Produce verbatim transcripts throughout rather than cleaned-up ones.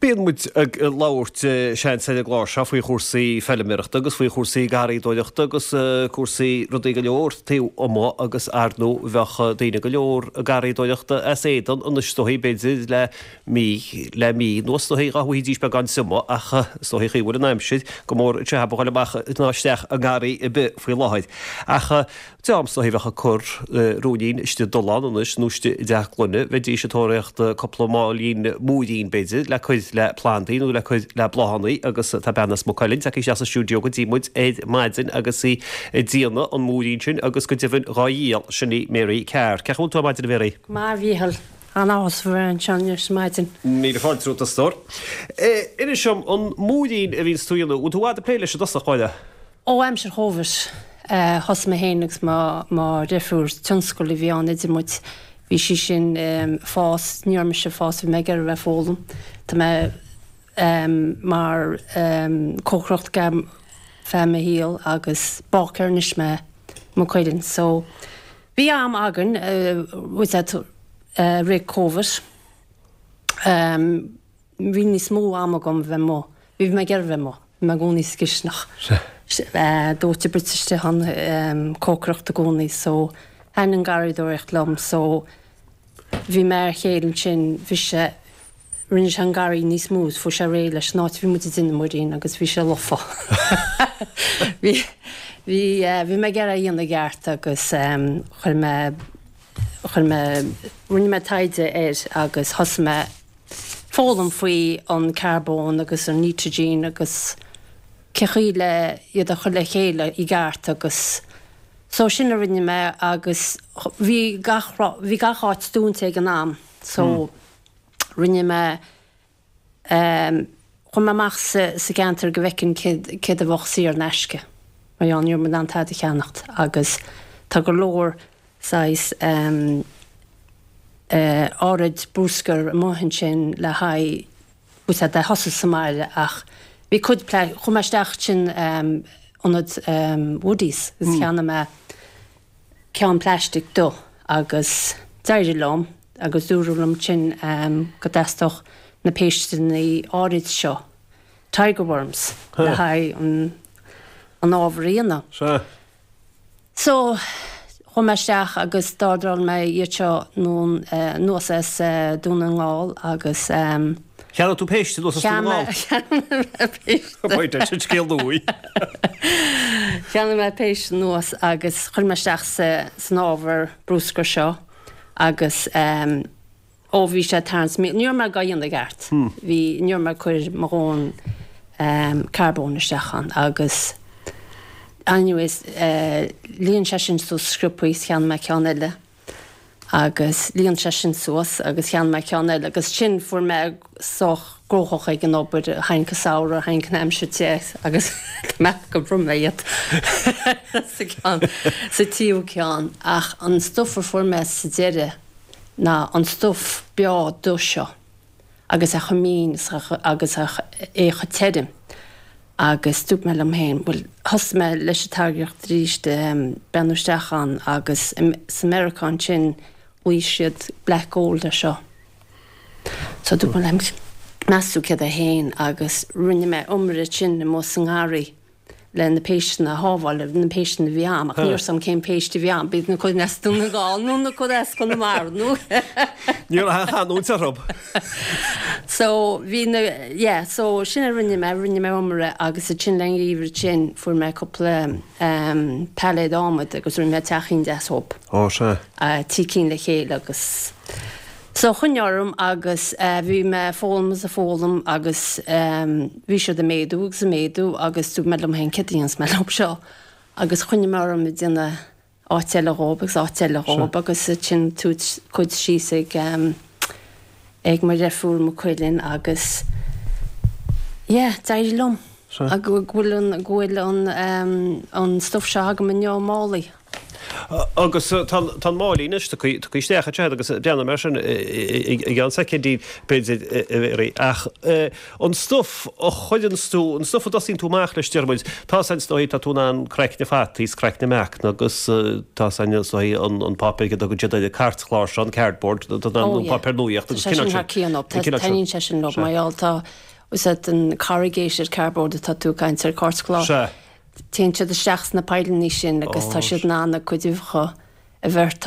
Bíonn muid ag labhairt seans ar an gclár seo faoi chúrsaí feilméarachta agus faoi chúrsaí garraíodóireachta agus cúrsaí rudaí go leor taobh amuigh agus ar ndóigh bheadh daoine go leor ag garraíodóireachta as éadan anois is dóichí b'fhéidir le mí le mí anuas is dóichí dhá bhfaighidís beagán suime ach is dóichí chaoi bhfuil an aimsir go mór anseo a dhul amach ná isteach i ngarraí ar bith faoi láthair. Ach dream is dóichí bheadh ag cur ruainnín istigh i dtollán anois nó istigh i dteach gloine, bheidís ag tóraíocht cúpla máilín múirín b'fhéidir le cur le plandaí nó le cur le bláthanna agus tá bean as Maigh Cuilinn tagtha isteach sa stiúideo go dtí muid ar maidin agus í ag déanamh an múirín sin agus go deimhin dhá dhíol, sin í Mary Carr. Cén chaoi a bhfuil tú ar maidin a Mhary? Go maith a Mhíchíl. An-áthas a bheith anseo anois ar maidin. Míle fáilte romhat a stór. Inis dom, an múirín a bhíonns tú a dhéanamh, bhfuil tú i bhfad ag plé leis i dtosach báire? Ó aimsir Chóvid, thosaigh mé féin agus mo mo dheirfiúr, tionscal a bhí ann idir muid. Bhí sí sin ag fás, ní raibh mise ag fás, bhí mé ag iarraidh a bheith ag foghlaim. Tá mé mar cócaireacht agam feadh mo shaol agus báicéir anois mé Maigh Cuilinn. So bhí am againn with that rith Covid. Bhí níos mó am agam bheith amuigh. Bhí mé ag iarraidh bheith amuigh. Bhí mé i gcónaí sa gcisteanach. Dóite bruite istigh ann, cócaireacht i gcónaí so thaitin an garraíodóireacht liom so bhí mé ar chéile ansin, bhí sé, rinne sé an garraí níos mó is fuair sé réidh leis an áit a bhí muid ag déanamh muirín agus bhí sé lofa. Bhí, bhí, bhí mé ag iarraidh é a dhéanamh i gceart agus chuir mé, chuir mé, rinne mé taighde air agus thosaigh mé foghlaim faoi an carbón agus an nitrogen agus cé chaoi le iad a chur le chéile i gceart agus so sin a rinne mé agus bhí gach bhí gach áit dúnta ag an am so rinne mé um, chuaigh mé amach sa, sa gceantar go bhfeicfinn céard, céard a bheadh saor in aisce mar gheall ní raibh mé in ann tada a cheannacht agus tá go leor saghas um, uh, áirid bruscar amuigh ansin le haghaidh úsáid a thosaigh sa mbaile ach bhí cuid chuaigh mé isteach sin um, ionad um, Woodies agus mm. cheannaigh mé ceann plastic do agus d'éirigh liom agus dúradh liom sin um, go dteastódh na péisteanna áirid seo tiger worms le haghaidh an, an ábhar a dhéanamh. Sea. So chuaigh mé isteach agus d'ordáil mé iad seo anuas as Dún na nGall agus um, Cheannaigh tú péiste anuas as Dún na nGall? Cheannaigh mé péiste. Pointe sin scéal nua. Cheannaigh mé péiste anuas agus chuir mé isteach sa, san ábhar bruscair seo agus um, ó bhí sé tarraingt ní raibh mé á dhéanamh i gceart. Bhí ní raibh mé ag cur mo dhóthain um, carbón isteach ann agus anyways uh, líon sé sin suas sciobtha cheannaigh mé ceann eile agus líon sé sin suas agus cheannaigh mé ceann eile agus sin fuair mé sách gnóthach ag an obair tháinig an samhradh tháinig an aimsir te agus mé go bhrom mé iad sa ceann sa tríú ceann ach an stuif a fuair mé sa deireadh ná an stuif beo dubh seo agus a chomh mín agus a é chomh tirim. Agus dúirt mé liom féin, bhuel thosaigh mé leis an táirgeacht arís breathnú isteach ann agus sa Meiriceá ansin bhí siad black gold ar seo. So dúirt mé liom meas tú céard é féin agus rinne mé iomaire sin amuigh sa ngarraí le na péisteanna a shábháil, na péisteanna a bhí ann, ach ní raibh a fhios agam cén péist a bhí ann, b'fhéidir na cuid as Dún na nGall nó na cuid as Conamara nó. Ní raibh aon chanúint orthu. So bhí na, yeah, so sin a rinne mé, rinne mé iomaire agus ansin le an gheimhreadh sin fuair mé cúpla um, pailléad adhmaid agus rinne mé teachín deas dhób. Ó sea. Uh, trí cinn le chéile agus so choinnigh orm agus uh, bhí mé ag foghlaim is ag foghlaim agus um, bhí siad ag méadú agus ag méadú agus dúirt mé liom féin céard a dhéanfas mé leo seo agus choinnigh mé orm ag déanamh áit eile dhób agus áit eile dhób agus sin tabhairt cuid síos ag um, ag mo dheirfiúr Maigh Cuilinn agus yeah, d'éirigh liom. Sea. Go bhfuil an go bhfuil an um, an stuif seo agam inniu i málaí. Agus tá an máilín anois tugtha isteach anseo agus breathnóidh mé air sin i gceann soicindí b'fhéidir a Mhéaraí. Ach an stuif a chuireanns tú, an stuif a dtosaíonn tú amach leis deir muid, tá 's a'inn is dóigh, tá tú in ann craicne fataí is craicne meacan agus tá 's a'inn is dóigh an páipéar a dtugann siad air an cairtchlár seo, an cardboard, tá tú in ann an páipéar nuaíochta agus cineál sin. Tá sé sin thar cionn, taitníonn sé sin liom mar gheall tá, is é an corrugated cardboard atá tú ag caint ar, cairtchlár. Sea. Téann siad isteach sna poilleanna sin agus tá siad in ann a gcuid uibheacha a bheirt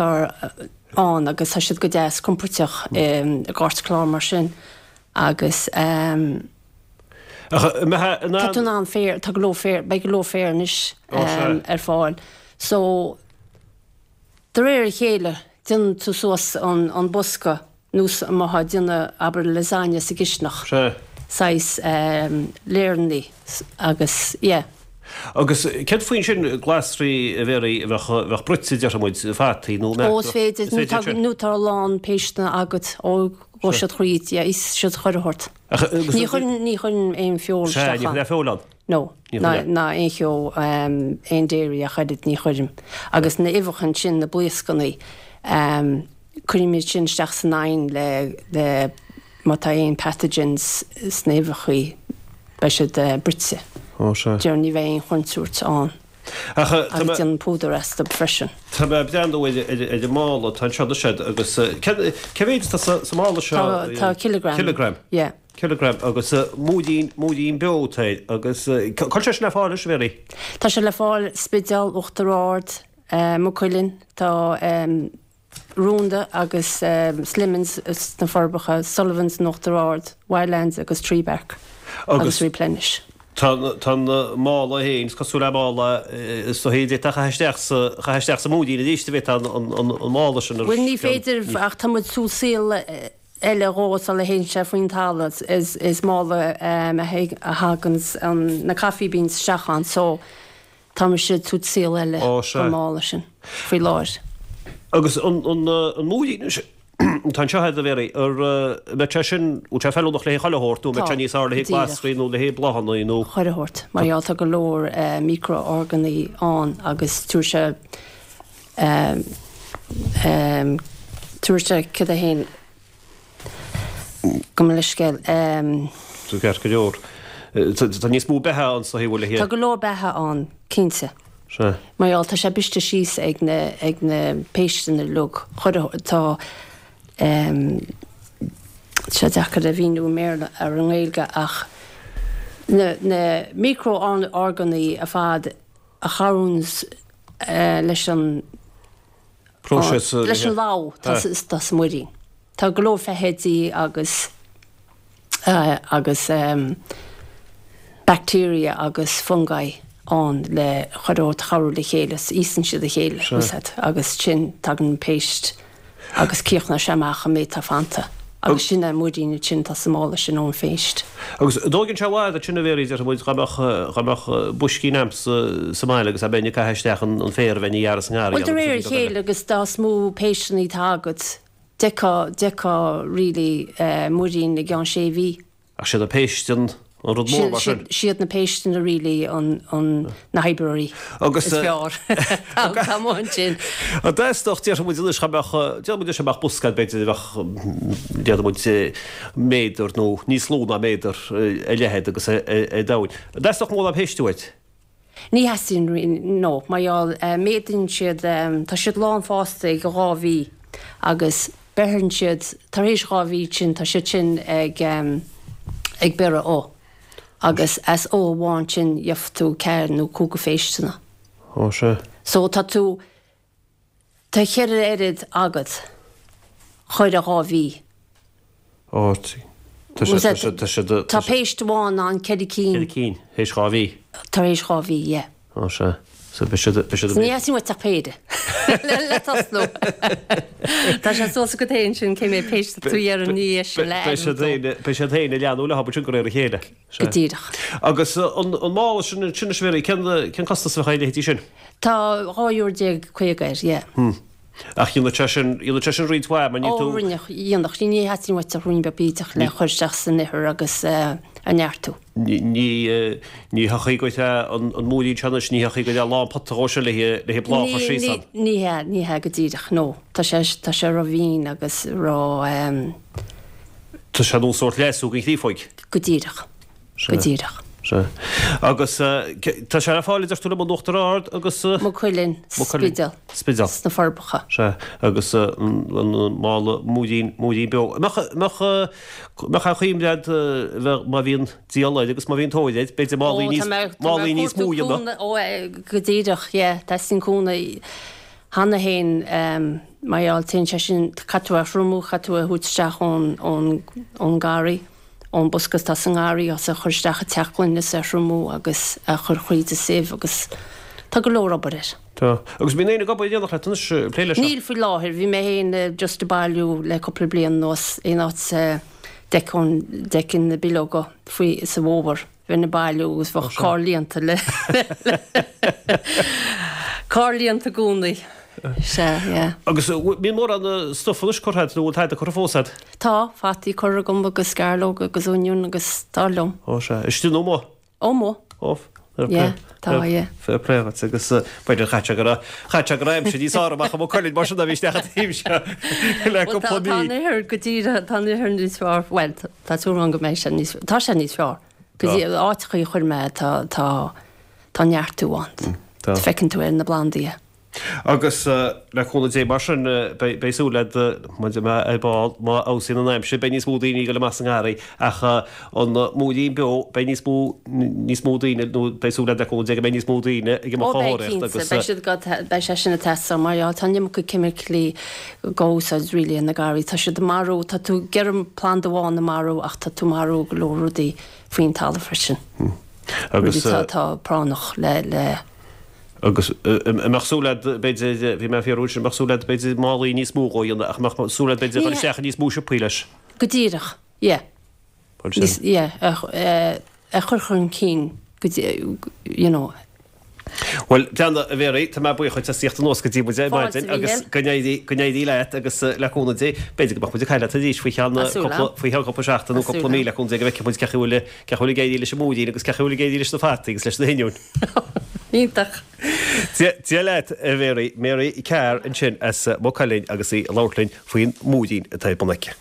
ann agus tá siad go deas compóirteach i gcairtchlár mar sin agus Ach an mbeifeá in tá tú in ann féar, tá go leor féar, beidh go leor féar anois ar fáil. So de réir a chéile déanann tú suas an bosca nós a mbeifeá ag déanamh, abair, lasagne sa gcisteanach. Sea. Saghas layernaí agus, yeah. Agus céard faoi ansin glasraí a Mhéaraí a bheadh, a bheadh bruite, déarfaidh muid, fataí nó Ó, is féidir, nó tá, nó tá a lán péisteanna agat, ó, gheobhaidh siad thríd, yeah, íosfaidh siad chuile shórt. Ach agus. Ní chuireann, ní chuireann aon feoil Sea, isteach ní ann. chuireann feoil ann. No, Ní ná, chuireann. ná aon cheo, aon dairy ach oiread, ní chuirim. Agus na uibheacha ansin, na blaoscannaí, Cuirim iad sin isteach san oigheann le le má tá aon pathogens sna huibheachaí beidh siad bruite. Ó sea. Déarfainn ní bheidh aon chontúirt ann. Ach tá Agus mé. déanaim púdar astu freisin. Tá mé ag breathnú ar ar ar an mála atá anseo anois agat agus cé cé mhéid atá sa sa mála seo? Tá tá kilogram. Kilogram. Yeah. Kilogram agus múirín múirín beo atá air agus cá bhfuil sé sin le fáil anois a Mhéaraí? Tá sé le fáil Spidéal, Uachtar Ard, Maigh Cuilinn, tá Rúnda agus Slimmins sna Forbacha, Sullivan's in Uachtar Ard, Wildlands agus Tree Bark agus Replenish. Tá an mála féin, is cosúil le mála is dóichí a d'fhéadfá a chaitheamh isteach sa, chaitheamh isteach sa mhúirín arís a bheadh an mála sin ar Bhuel ní féidir ach tá muid ag tabhairt saol eile dhó sula théann sé faoin talamh. Is mála a thaganns na coffee beans isteach ann so Tá mise ag tabhairt saol eile don mála sin faoi láthair. Agus an múirín atá anseo agat a Mhéaraí, an mbeadh sé sin, bhfuil sé feiliúnach le haghaidh chuile shórt nó an mbeadh sé níos fearr le haghaidh glasraí nó le haghaidh bláthanna nó. Chuile shórt. Mar gheall tá go leor micro-orgánaigh ann agus tabharfaidh sé, tabharfaidh sé cad é féin, Gabh mo leithscéal. Tá ceart go leor. Tá níos mó beatha ann sa thaobh le. Tá go leor beatha ann, cinnte. Sea. Mar gheall, tá sé briste síos ag na, ag na péisteanna uilig. Chuir, tá, tá sé deacair a mhíniú i mBéarla ar an nGaeilge ach na, na micro-orgánaigh ar fad a chabhraíonns leis an, Próiseas. Leis an lobhadh atá sa muirín. Tá go leor feithidí agus agus bacteria agus fungi ann le chuile shórt a chabhrú le chéile, íosann siad a chéile, agus sin tagann an péist agus críochnaíonn sé amach an méid atá fanta. Agus sin é an muirín ansin atá sa mála sin ón phéist. Agus an dtógann sé i bhfad ansin a Mhéaraí, déarfaidh muid, dá mbeadh, dá mbeadh boiscín a'msa sa mbaile agus dá mbeinn ag caitheamh isteach an an féar a bheinn a ghearradh sa ngarraí Bhuel, de agus réir a rudaí beaga eile. chéile agus dá is mó péisteanna atá agat, d'fheicfeá, d'fheicfeá really muirín i gceann sé mhí. Ach siad na péist an an rud mór mar sin. Siad na péisteanna really an an na hoibreoirí Agus is fearr atá amuigh ansin. An dteastódh, déarfaidh muid anois, dá mbeadh, déarfaidh muid anois dá mbeadh bosca agat b'fhéidir a bheadh, déarfaidh muid méadar nó níos lú ná méadar a leithead agus a domhain. An dteastódh mórán péiste uait? Ní theastaíonn, no, mar gheall, méadaíonn siad, tá siad lán fásta ag dhá mhí agus beireann siad, tar éis dhá mhí sin, tá siad sin ag, ag beireadh ubh agus as ubh amháin sin gheobhaidh tú ceathair nó cúig phéisteanna. Ó sea. So tá tú, tá cheithre oiread agat chuile dhá mhí. Ó, tá sé, tá sé, tá sé, Tá péist amháin in ann ceithre cinn. Ceithre cinn, théis dhá mhí. Tar éis dhá mhí, yeah. Ó sea. So beidh siad, beidh siad. Ní theastaíonn uait ach péire. Le tosnú. Tá sé suas agat féin sin cé mhéad péist atá tú iarraidh ní é sin le Beidh siad féin, beidh siad féin ag leathnú leo sin de réir a chéile. Go díreach. Agus an, an mála sin, sin is Mhéaraí, cén, cén costas a bheadh ar a leithéidí sin? Tá dhá euro déag caoga air, yeah. Hmm. Ach dhéanadh sé sin, dhéanadh sé sin roinnt mhaith, mar níl Ó, tú. rinneadh, dhéanadh. Ní theastaíonn uait ach ruainnín beag bídeach le chur isteach san ithir agus a neartú. Ní, ní, ní thiocfaidh go an, an múirín seo anois, ní thiocfaidh go dtí lán pota dhó seo le haghaidh, le haghaidh bláth a chur Ní, síos ní, ann. ní hea, ní hea go díreach, no. Tá sé, tá sé ró-mhín agus ró, ehm. Tá sé nós sórt leasú don chréafóig. Go díreach. Go díreach. Sea. Agus tá sé ar fáil, a deir tú liom, in Uachtar Ard agus. Maigh Cuilinn, Spidéal. Spidéal. Sna Forbacha. Sea. Agus an mála múirín, múirín beo. Mbeadh, mbeadh, mbeadh aon chuimhne agat, bheadh, má bhíonn díol air agus má bhíonn tóir air, b'fhéidir málaí níos, málaí níos mó a dhéanamh. Ó, go díreach, yeah. Teastaíonn cúnamh cheana féin, mar gheall, téann sé sin, caithfidh tú é a thriomú, caithfidh tú é a thabhairt isteach ón, ón, ón ngarraí. ón bosca atá sa ngarraí agus a chur isteach i teach gloine is a thriomú agus a chur thríd an sieve agus tá go leor obair air. Tá. Agus bíonn éinne ag obair in éineacht leat anois ag plé leis seo? Níl faoi láthair. Bhí mé féin just ag bailiú le cúpla bliain anuas aon áit a d'fheicfinn, d'fheicfinn na bileoga faoi sa bhfómhar. Bheinn ag bailiú agus bheadh carr líonta le carr líonta i gcónaí. Sea, yeah. Agus bíonn mórán stuif anois curtha agat nó bhfuil tada curtha fós agat? Tá, fataí curtha agam agus sceallóga agus oinniún agus tá liom. Ó sea, istigh nó amuigh? Ó, amuigh. Ó, fair play. Yeah, tá, yeah. Fair play dhuit agus b'fhéidir chaith sé go raibh, chaith sé go raibh aimsir níos fearr amach i Maigh Cuilinn mar sin a bhí isteach an taobh seo le cúpla mí. Tá an ithir go díreach, tá an ithir níos fearr, bhuel, tá súil agam go mbeidh sé níos, tá sé níos fearr. Go dtí áiteachaí a chuir mé tá, tá, tá neartú ann. Tá. Feiceann tú ar na plandaí é. Agus le cúnamh Dé mar sin, beidh súil agat, maidir le ar ball, má fheabhsaíonn an aimsir, beidh níos mó daoine ag dul amach sa ngarraí ach an múirín beo, beidh níos mó, níos mó daoine, nó beidh súil agat le cúnamh Dé go mbeidh níos mó daoine ag Ó imeacht á beidh thóraíocht cinnte, agus. beidh siad go, beidh sé sin ag teastáil mar gheall, tá an iomarca ceimicilí á úsáid really ina garraí, tá siad ag marú, tá tú ag iarraidh planda amháin a marú ach tá tú ag marú go leor rudaí faoin talamh freisin. Agus. Rudaí atá práinneach le, le. Agus an mbeadh súil agat, b'fhéidir, bhí mé ag fiafraí sin, an mbeadh súil agat, b'fhéidir, málaí níos mó dhó dhéanamh, ach an mbeadh súil agat, b'fhéidir, a dhul isteach i níos mó siopaí leis? Go díreach, yeah. Níos, yeah, a chur chun cinn go dtí, you know. Bhuel, Deanna, a Mhary, tá mé buíoch dhuit as tíocht anuas go dtí muid ar maidin agus go n-éirí, go n-éirí leat agus le cúnamh Dé, b'fhéidir go mbeadh muid ag caint leat arís faoi cheann cúpla, faoi cheann cúpla seachtain nó cúpla mí le cúnamh Dé go bhfeicfidh muid cén chaoi a bhfuil, cén chaoi a bhfuil ag éirí leis an múirín agus cén chaoi a bhfuil ag éirí leis na fataí agus leis na hoinniúin. Iontach. Dia leat, a Mhary. Mary Carr ansin as Maigh Cuilinn agus í ag labhairt linn faoin múirín atá ar bun aici.